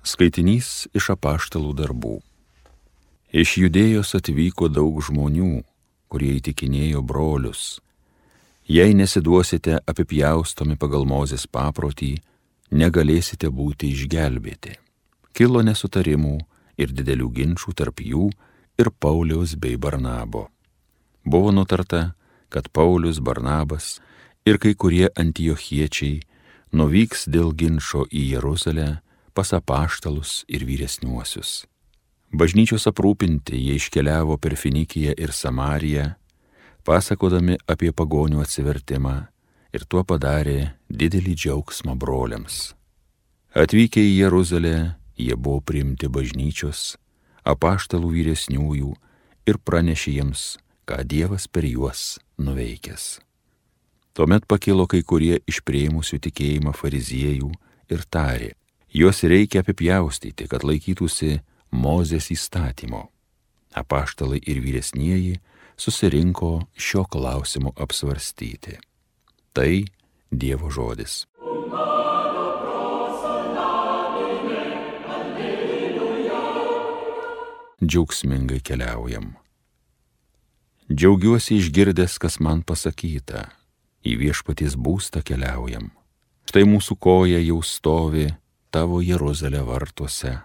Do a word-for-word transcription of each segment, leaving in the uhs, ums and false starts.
Skaitinys iš apaštalų darbų. Iš Judėjos atvyko daug žmonių, kurie įtikinėjo brolius. Jei nesiduosite apipjaustomi pagal Mozės paprotį, negalėsite būti išgelbėti. Kilo nesutarimų ir didelių ginčų tarp jų ir Pauliaus bei Barnabo. Buvo nutarta, kad Paulius, Barnabas ir kai kurie antiochiečiai nuvyks dėl ginčo į Jeruzalę pas apaštalus ir vyresniuosius. Bažnyčios aprūpinti jie iškeliavo per Finikiją ir Samariją, pasakodami apie pagonių atsivertimą, ir tuo padarė didelį džiaugsmą broliams. Atvykę į Jeruzalę, jie buvo priimti bažnyčios, apaštalų vyresniųjų ir pranešė jiems, ką Dievas per juos nuveikęs. Tuomet pakilo kai kurie iš priėmusių tikėjimą fariziejų ir tarė: juos reikia apipjaustyti, kad laikytųsi Mozės įstatymo. Apaštalai ir vyresnieji susirinko šio klausimo apsvarstyti. Tai Dievo žodis. Džiaugsmingai keliaujam. Džiaugiuosi išgirdęs, kas man pasakyta. Į viešpaties būstą keliaujam. Štai mūsų koja jau stovi tavo Jeruzalė vartuose.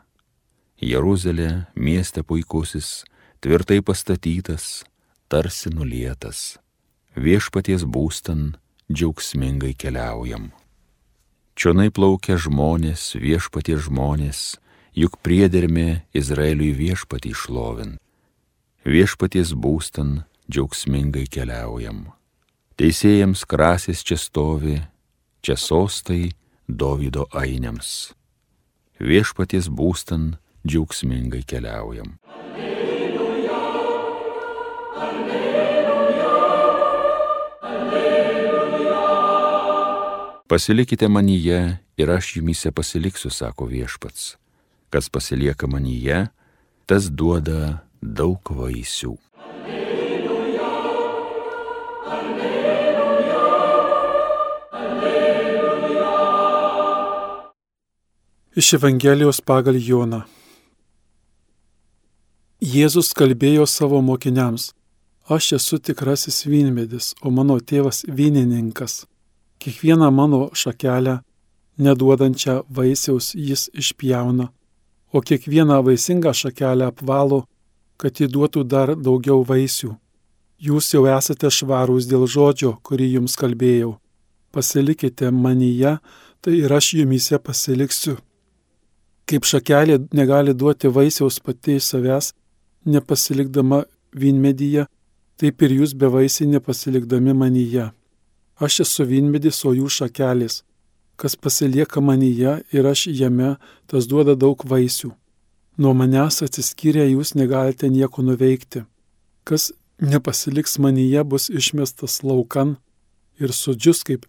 Jeruzalė, mieste puikusis, tvirtai pastatytas, tarsi nulietas. Viešpaties būstan džiaugsmingai keliaujam. Čionai plaukia žmonės, viešpaties žmonės, juk priedermė Izraeliui viešpatį šlovint. Viešpaties būstan džiaugsmingai keliaujam. Teisėjams krasės čia stovi, čia sostai Dovydo ainiams. Viešpaties būstan džiaugsmingai keliaujam. Alleluja, alleluja, alleluja. Pasilikite manyje ir aš jumyse pasiliksiu, sako viešpats. Kas pasilieka manyje, tas duoda daug vaisių. Iš Evangelijos pagal Joną. Jėzus kalbėjo savo mokiniams: aš esu tikrasis vynmedis, o mano tėvas vynininkas. Kiekvieną mano šakelę, neduodančią vaisiaus, jis išpjauna, o kiekvieną vaisingą šakelę apvalo, kad ji duotų dar daugiau vaisių. Jūs jau esate švarūs dėl žodžio, kurį jums kalbėjau. Pasilikite manyje, tai ir aš jumyse pasiliksiu. Kaip šakelė negali duoti vaisiaus pati iš savęs, nepasilikdama vynmedyje, taip ir jūs bevaisiai nepasilikdami manyje. Aš esu vynmedis, o jūs šakelės. Kas pasilieka manyje ir aš jame, tas duoda daug vaisių. Nuo manęs atsiskyrę jūs negalite nieko nuveikti. Kas nepasiliks manyje, bus išmestas laukan ir sudžius kaip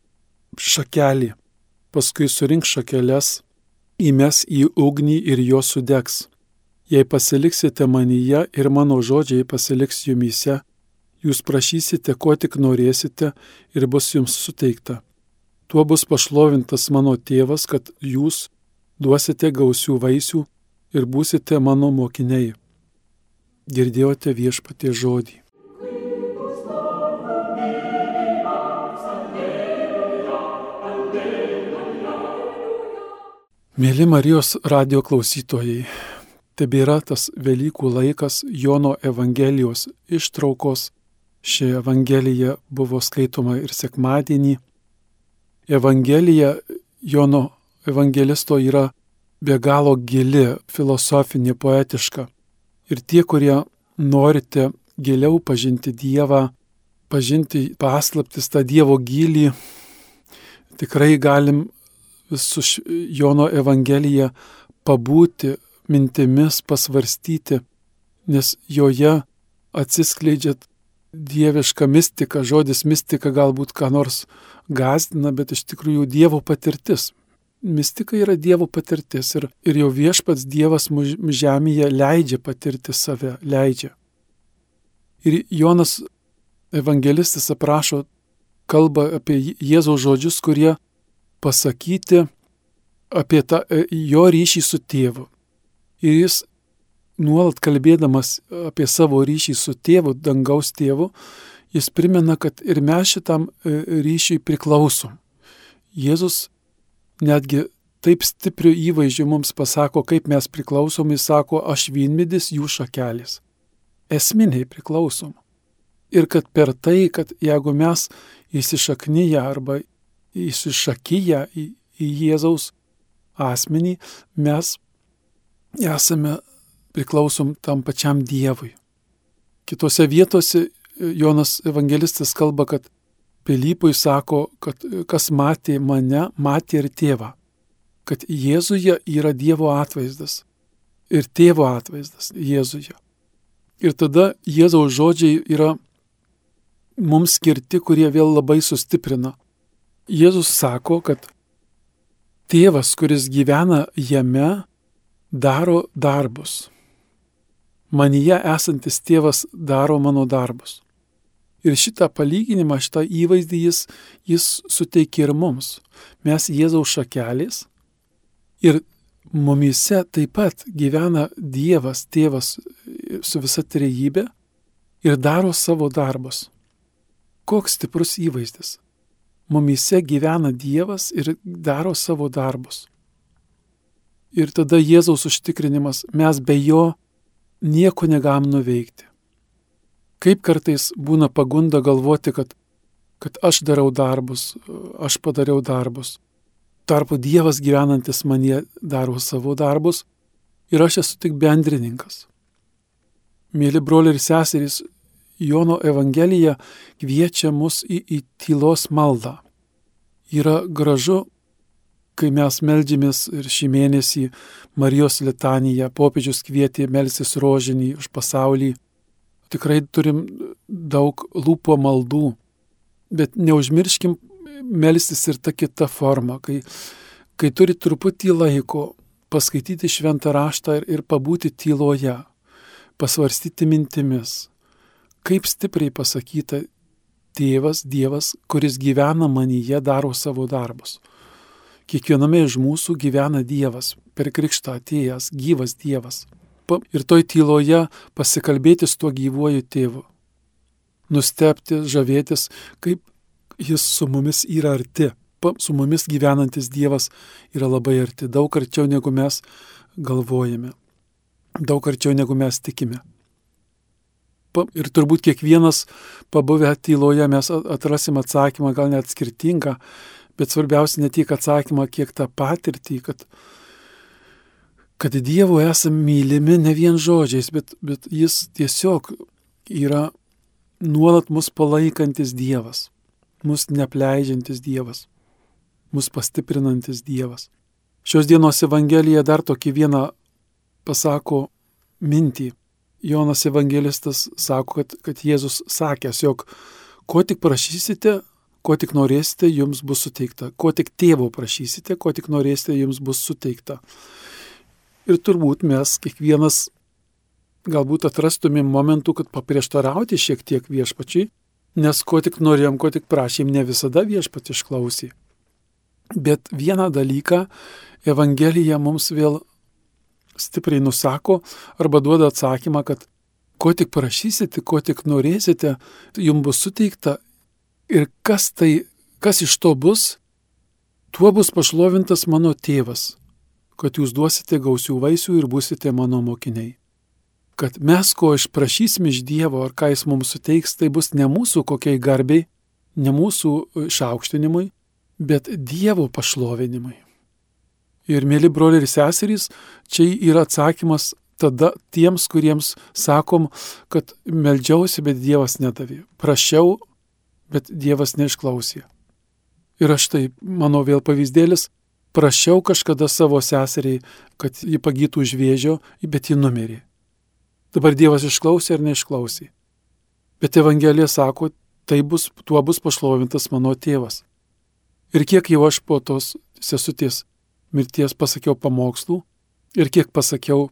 šakelė. Paskui surink šakeles, įmes į ugnį ir jos sudegs. Jei pasiliksite manyje ir mano žodžiai pasiliks jumyse, jūs prašysite, ko tik norėsite, ir bus jums suteikta. Tuo bus pašlovintas mano tėvas, kad jūs duosite gausių vaisių ir būsite mano mokiniai. Girdėjote viešpaties žodį. Mėly Marijos radijo klausytojai, tebėra tas Velykų laikas Jono Evangelijos ištraukos. Ši Evangelija buvo skaitoma ir sekmadienį. Evangelija Jono evangelisto yra be galo gili, filosofinė, poetiška. Ir tie, kurie norite giliau pažinti Dievą, pažinti paslaptis, tą Dievo gylį, tikrai galim su Jono Evangelija pabūti mintimis, pasvarstyti, nes joje atsiskleidžia dieviška mistika. Žodis mistika galbūt ką nors gąsdina, bet iš tikrųjų Dievo patirtis. Mistika yra Dievo patirtis ir, ir jau viešpats Dievas žemėje leidžia patirti save, leidžia. Ir Jonas evangelistas aprašo, kalba apie Jėzaus žodžius, kurie pasakyti apie tą, jo ryšį su tėvu. Ir jis nuolat kalbėdamas apie savo ryšį su tėvu, dangaus tėvu, jis primena, kad ir mes šitam ryšiui priklausom. Jėzus netgi taip stipriu įvaizdžiu mums pasako, kaip mes priklausom, jis sako, aš vynmedis, jų šakelės. Esminiai priklausom. Ir kad per tai, kad jeigu mes įsišaknyję arba įsišakyję į, į Jėzaus asmenį, mes esame priklausom tam pačiam Dievui. Kitose vietose Jonas evangelistas kalba, kad Pilypui sako, kad kas matė mane, matė ir tėvą. Kad Jėzuje yra Dievo atvaizdas ir tėvo atvaizdas Jėzuje. Ir tada Jėzaus žodžiai yra mums skirti, kurie vėl labai sustiprina. Jėzus sako, kad tėvas, kuris gyvena jame, daro darbus. Manyje esantis tėvas daro mano darbus. Ir šitą palyginimą, šitą įvaizdį jis, jis suteikia ir mums. Mes Jėzaus šakelės ir mumyse taip pat gyvena Dievas, tėvas su visa trejybė ir daro savo darbus. Koks stiprus įvaizdis. Mumyse gyvena Dievas ir daro savo darbus. Ir tada Jėzaus užtikrinimas, mes be jo nieko negalim nuveikti. Kaip kartais būna pagunda galvoti, kad, kad aš darau darbus, aš padariau darbus. Tarpu Dievas gyvenantis manyje daro savo darbus ir aš esu tik bendrininkas. Mėly broliai ir seserys, Jono Evangelija kviečia mus į, į tylos maldą. Yra gražu, kai mes meldžiamės ir šį mėnesį Marijos litaniją, popiežius kvietė melstis rožinį už pasaulį. Tikrai turim daug lūpo maldų, bet neužmirškim melstis ir ta kita forma, kai, kai turi truputį laiko paskaityti šventą raštą ir, ir pabūti tyloje, pasvarstyti mintimis. Kaip stipriai pasakyta tėvas, Dievas, kuris gyvena manyje, daro savo darbus. Kiekviename iš mūsų gyvena Dievas, per krikštą atėjęs, gyvas Dievas. Ir toj tyloje pasikalbėti su tuo gyvuoju tėvu. Nustebti, žavėtis, kaip jis su mumis yra arti. Su mumis gyvenantis Dievas yra labai arti, daug arčiau negu mes galvojame, daug arčiau negu mes tikime. Ir turbūt kiekvienas pabuvę tyloje mes atrasim atsakymą, gal net skirtingą, bet svarbiausia ne tik atsakymą, kiek tą patirtį, kad, kad Dievo esame mylimi ne vien žodžiais, bet, bet jis tiesiog yra nuolat mus palaikantis Dievas, mus neapleidžiantis Dievas, mus pastiprinantis Dievas. Šios dienos Evangelija dar tokį vieną pasako mintį. Jonas evangelistas sako, kad, kad Jėzus sakęs, jog ko tik prašysite, ko tik norėsite, jums bus suteikta. Ko tik tėvo prašysite, ko tik norėsite, jums bus suteikta. Ir turbūt mes kiekvienas galbūt atrastumėm momentų, kad paprieštarauti šiek tiek viešpačiai, nes ko tik norėjom, ko tik prašėm, ne visada viešpat išklausė. Bet vieną dalyką Evangelija mums vėl stipriai nusako arba duoda atsakymą, kad ko tik prašysite, ko tik norėsite, jums bus suteikta ir kas tai, kas iš to bus, tuo bus pašlovintas mano tėvas, kad jūs duosite gausių vaisių ir būsite mano mokiniai. Kad mes ko išprašysim iš Dievo ar ką jis mums suteiks, tai bus ne mūsų kokiai garbiai, ne mūsų išaukštinimui, bet Dievo pašlovinimui. Ir mėly broliai ir seserys, čia yra atsakymas tada tiems, kuriems sakom, kad meldžiausi, bet Dievas nedavė. Prašiau, bet Dievas neišklausė. Ir aš tai, mano vėl pavyzdėlis, prašiau kažkada savo seseriai, kad ji pagytų už vėžio, bet ji numirė. Dabar Dievas išklausė ar neišklausė. Bet Evangelija sako, tai bus, tuo bus pašlovintas mano tėvas. Ir kiek jau aš po tos sesutės mirties pasakiau pamokslų ir kiek pasakiau,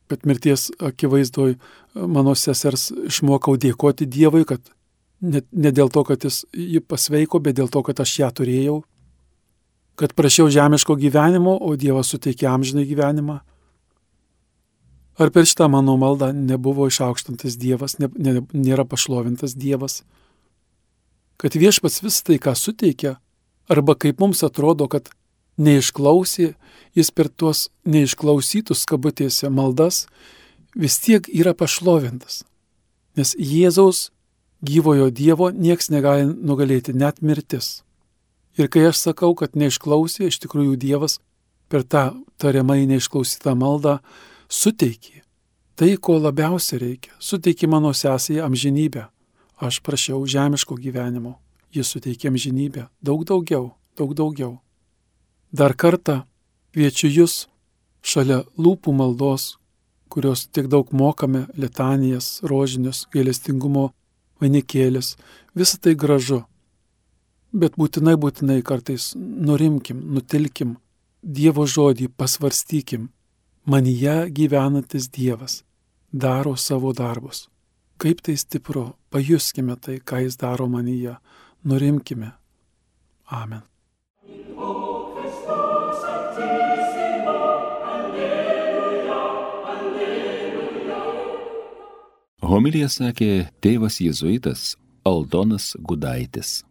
kad mirties akivaizdoj mano sesers išmokau dėkoti Dievui, kad ne, ne dėl to, kad jis jį pasveiko, bet dėl to, kad aš ją turėjau. kad prašiau žemiško gyvenimo, o Dievas suteikė amžinai gyvenimą? Ar per šitą mano maldą nebuvo išaukštantas Dievas, ne, ne, nėra pašlovintas Dievas? Kad viešpats vis tai, ką suteikia, arba kaip mums atrodo, kad neišklausė, jis per tuos neišklausytus kabutėse maldas vis tiek yra pašlovintas. Nes Jėzaus gyvojo Dievo nieks negali nugalėti, net mirtis. Ir kai aš sakau, kad neišklausė, iš tikrųjų Dievas per tą tariamai neišklausytą maldą suteikė tai, ko labiausiai reikia. Suteikė mano sesijai amžinybę. Aš prašiau žemiško gyvenimo. Jis suteikė amžinybę. Daug daugiau, daug daugiau. Dar kartą kviečiu jūs šalia lūpų maldos, kurios tiek daug mokame, litanijas, rožinius, gailestingumo vainikėlis, visą tai gražu. Bet būtinai, būtinai kartais nurimkim, nutilkim, Dievo žodį pasvarstykim. Manyje gyvenantis Dievas daro savo darbus. Kaip tai stipru, pajuskime tai, ką jis daro manyje. Nurimkime. Amen. Homiliją sakė tėvas jėzuitas Aldonas Gudaitis.